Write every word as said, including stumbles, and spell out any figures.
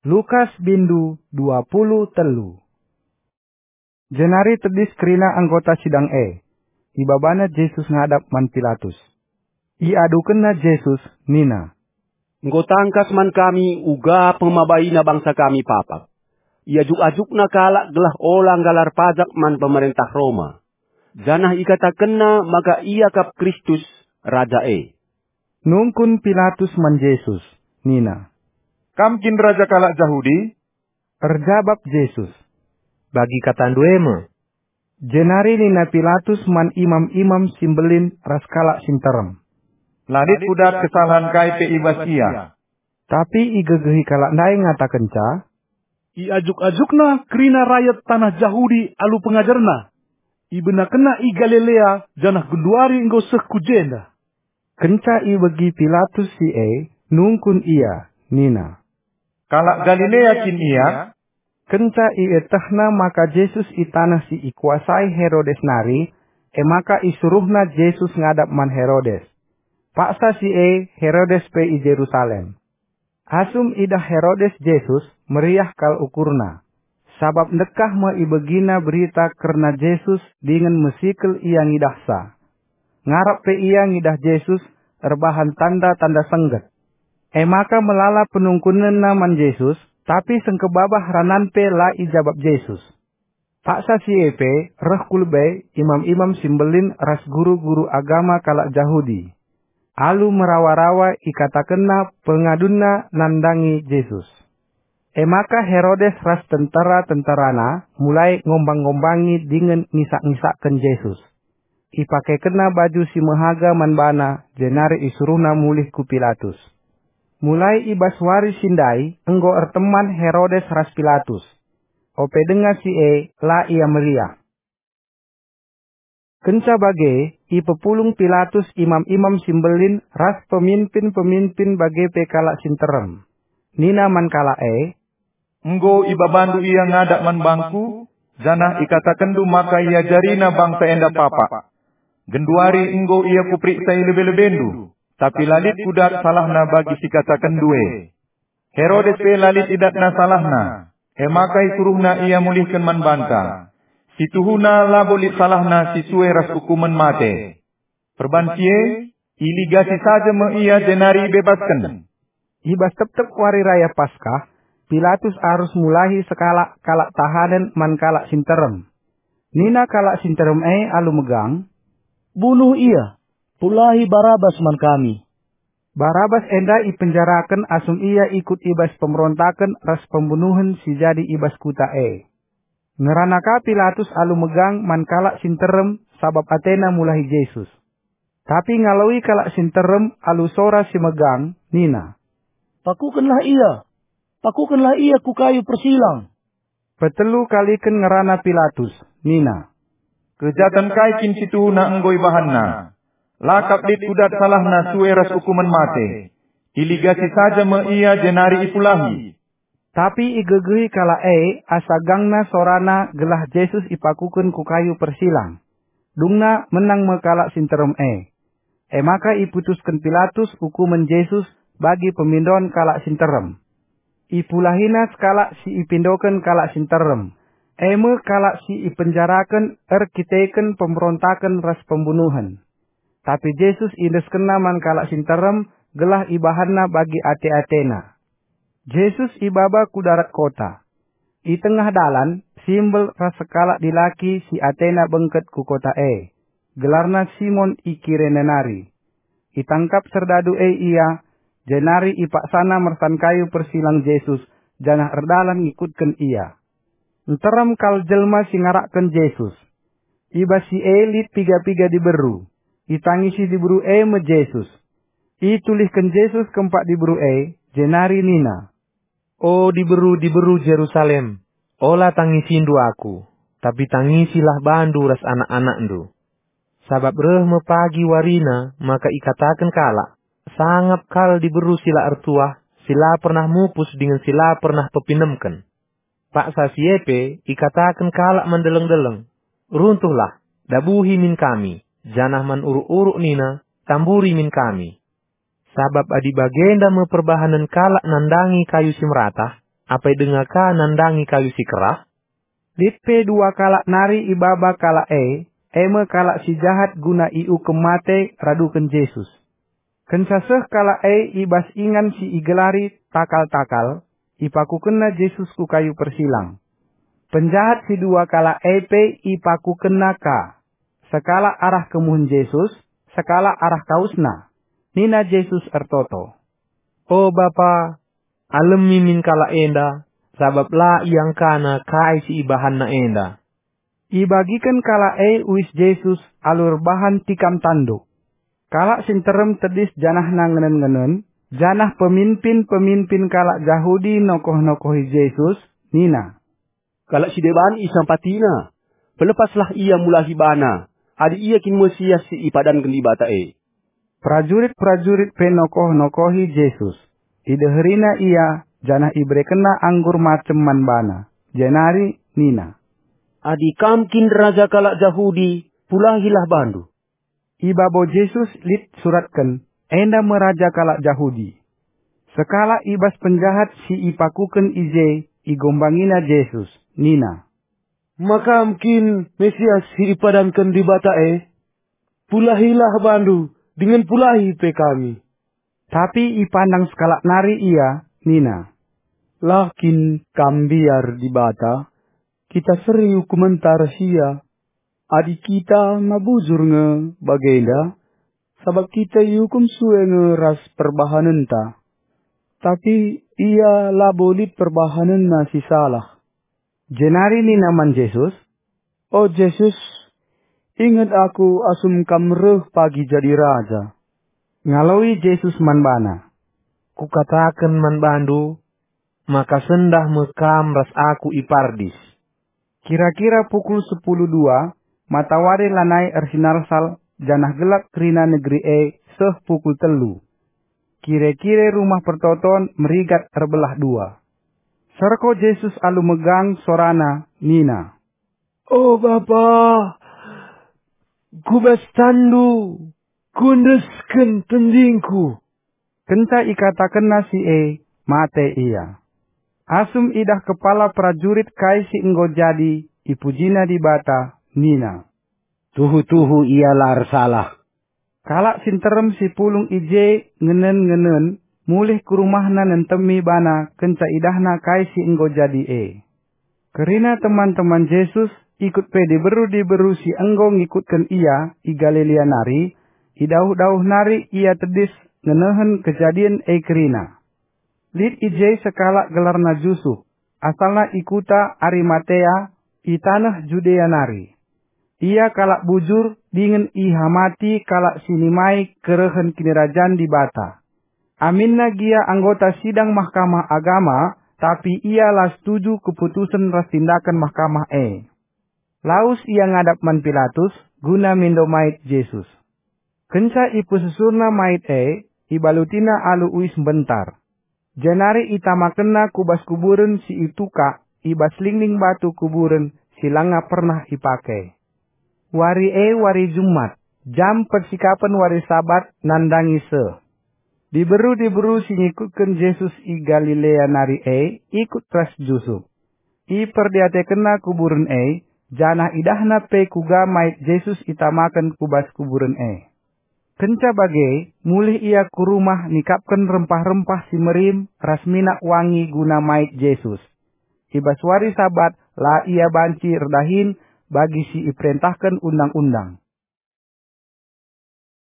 Lukas bindu dua puluh telu. Jenari tedis kerina anggota sidang e. Ibabana Jesus ngadap man Pilatus. Iadukenna Jesus nina, "Enggo tangkas man kami uga pemabaina bangsa kami papak. Iajuk-ajukna kalak gelah ola nggalar pajak man pemerentah Roma. Janah ikatakenna maka ia kap Kristus, Raja e." Nungkun Pilatus man Jesus, nina, "Kam kin raja kalak Jahudi?" Erjabap Jesus, "Bagi katandu e me." Jenari nina Pilatus man imam-imam si mbelin ras kalak si nterem, "La lit kudat kesalahen kai pe i bas ia." Tapi igegehi kalak ndai ngatakenca, "Iajuk-ajukna kerina rayat taneh Jahudi alu pengajarna. Ibenakenna i Galilea, janah genduari enggo seh ku jenda." Kenca ibegi Pilatus si e, nungkun ia, nina, "Kalak Galilea kin ia?" Kenca ietehna maka Jesus i taneh si ikuasai Herodes nari, e maka isuruhna Jesus ngadap man Herodes. Paksa si e Herodes pe i Jerusalem. Asum idah Herodes Jesus, meriah kal ukurna, sabap ndekah me ibegina berita kerna Jesus dingen mesikel ia ngidahsa. Ngarap pe ia ngidah Jesus erbahan tanda-tanda sengget. E maka melala penungkunenna man Jesus, tapi sengkebabah ranan pe la ijabap Jesus. Paksa si e pe reh ku lebe imam-imam si mbelin ras guru-guru agama kalak Jahudi. Alu merawa-rawa ikatakenna pengadunna nandangi Jesus. E maka Herodes ras tentera-tenterana mulai ngombang-ngombangi dingen ngisak-ngisakken Jesus. Ipakekenna baju si mehaga man bana, jenari isuruhna mulih ku Pilatus. Mulai i bas wari si ndai enggo erteman Herodes ras Pilatus. Ope denga si e, la ia meriah. Kenca bage, ipepulung Pilatus imam-imam si mbelin ras peminpin-peminpin bage pe kalak si nterem. Nina man kalak e, "Enggo ibabandu ia ngadap man bangku, janah ikatakenndu maka iajarina bangsa enda papak. Genduari enggo ia kuperiksa i lebe-lebendu, tapi la lit kudat salahna bagi si ikatakenndu e." Herodes pe la lit idatna salahna, e maka isuruhna ia mulihken man banta. Si tuhuna labo lit salahna si sue ras ukumen mate. Perban si e, iligasi saja me ia jenari ibebasken. I bas tep-tep wari raya Paskah, Pilatus arus mulahi sekalak kalak tahanen man kalak si nterem. Nina kalak si nterem e alu megang, "Bunuh ia, pulahi Barabas man kami." Barabas enda ipenjaraken asum ia ikut i bas pemberontaken ras pembunuhen si jadi i bas kuta e. Ngerana ka Pilatus alu megang man kalak si nterem sabap atena mulahi Jesus. Tapi ngaloi kalak si nterem alu sora si megang, nina, "Pakukenlah ia! Pakukenlah ia ku kayu persilang!" Petelu kaliken ngerana Pilatus, nina, "Kejaten kai kin si tuhuna enggo ibahanna? La kap lit kudat salahna sue ras ukumen mate. Iligasi saja me ia jenari ipulahi." Tapi igegehi kalak e asa gangna sorana gelah Jesus ipakuken ku kayu persilang. Dungna menang me kalak si nterem e. E maka iputusken Pilatus ukumen Jesus bagi pemindoen kalak si nterem. Ipulahina sekalak si ipindoken kalak si nterem, e me kalak si ipenjaraken erkiteken pemberontaken ras pembunuhen. Tapi Jesus iendeskenna man kalak si nterem gelah ibahanna bagi ate-atena. Jesus ibaba ku darat kota. I tengah dalan, simbel ras sekalak dilaki si atena bengket ku kota e, gelarna Simon i Kirene nari. Itangkap serdadu e ia, jenari ipaksana mersan kayu persilang Jesus, janah erdalan ngikutken ia. Nterem kal jelma si ngarakken Jesus. I bas si e lit piga-piga diberu. Itangisi diberu e me Jesus. Itulihken Jesus kempak diberu e, jenari nina, "O diberu-diberu Jerusalem, ola tangisindu aku, tapi tangisilah bandu ras anak-anakndu. Sabap reh me pagi warina maka ikataken kalak, 'Sangap kal diberu si la ertuah, si la pernah mupus dingen si la pernah pepinemken.' Paksa si e pe ikataken kalak man deleng-deleng, 'Runtuhlah, dabuhi min kami,' janah man uruk-uruk nina, 'Tamburi min kami.' Sabap adi bagenda me perbahanen kalak nandangi kayu si meratah, apai denga ka nandangi kayu si kerah?" Lit pe dua kalak nari ibaba kalak e, e me kalak si jahat guna iukum mate raduken Jesus. Kenca seh kalak e i bas ingan si igelari Takal-takal, ipakukenna Jesus ku kayu persilang. Penjahat si dua kalak e pe ipakukenna ka, sekalak arah kemuhen Jesus, sekalak arah kausNa. Nina Jesus ertoto, "O Bapa, alemi min kalak enda, sabap la iangkana kai si ibahanna enda." Ibagiken kalak e uis Jesus alu erbahan tikam tanduk. Kalak si nterem tedis janahna ngenen-ngenen, janah peminpin-peminpin kalak Jahudi nokoh-nokohi Jesus, nina, "Kalak si deban isampatiNa, pelepaslah Ia mulahi baNa, adi Ia kin Mesias si ipadanken Dibata e." Perajurit-perajurit pe nokoh-nokohi Jesus. Ideherina Ia, janah iberekenna anggur macem man baNa, jenari nina, "Adi Kam kin Raja kalak Jahudi, pulahilah baNdu." I babo Jesus lit suratken, "Enda me Raja kalak Jahudi." Sekalak i bas penjahat si ipakuken i je igombangina Jesus, nina, "Ma Kam kin Mesias si ipadanken Dibata e? Pulahilah baNdu, dingen pulahi pe kami." Tapi ipandang sekalak nari ia, nina, "La kin Kam mbiar Dibata? Kita seri ukumenta ras Ia. Adi kita ma bujur nge bagenda, sabap kita iukum sue nge ras perbahanenta. Tapi Ia labo lit perbahanenNa si salah." Jenari nina man Jesus, "O Jesus, inget aku asum Kam reh pagi jadi Raja." Ngaloi Jesus man bana, "Kukataken man bandu, maka sendah me kam ras Aku i Pardis." Kira-kira pukul sepuluh dua, matawari lanai ersinalsal, janah gelap kerina negeri e seh pukul telu. Kire-kire Rumah Pertoton merigat erbelah dua. Serko Jesus alu megang sorana, nina, "O Bapa, ku bas tanNdu kuendesken tendingku." Kenca ikatakenna si e, mate ia. Asum idah kepala perajurit kai si enggo jadi, ipujina Dibata, nina, "Tuhu-tuhu ia la ersalah." Kalak si nterem si pulung i je ngenen-ngenen, mulih ku rumahna nentemi bana kenca idahna kai si enggo jadi e. Kerina teman-teman Jesus, ikut pe diberu-diberu si enggo ngikutken ia i Galilea nari, i dauh-dauh nari ia tedis ngenehen kejadin e kerina. Lit i je sekalak gelarna Jusup, asalna i kuta Arimatea, i taneh Judea nari. Ia kalak bujur dingen ihamati kalak si nimai kerehen Kinirajan Dibata. Aminna gia anggota sidang Mahkamah Agama, tapi ia la setuju keputusen ras tindaken mahkamah e. Lawes ia ngadap man Pilatus guna mindo mait Jesus. Kenca ipesusurna mait e, ibalutina alu uis mbentar. Jenari itamakenna ku bas kuburen si itukak i bas lingling batu kuburen si langa pernah ipake. Wari e wari Jumat, jam persikapen wari Sabat nandangi seh. Diberu-diberu si ngikutken Jesus i Galilea nari e ikut ras Jusup. Iperdiatekenna kuburen e, janah idahna pe kuga mait Jesus itamaken ku bas kuburen e. Kenca bage, mulih ia ku rumah nikapken rempah-rempah si merim ras minak wangi guna mait Jesus. I bas wari Sabat la ia banci erdahin bagi si iperentahken Undang-undang.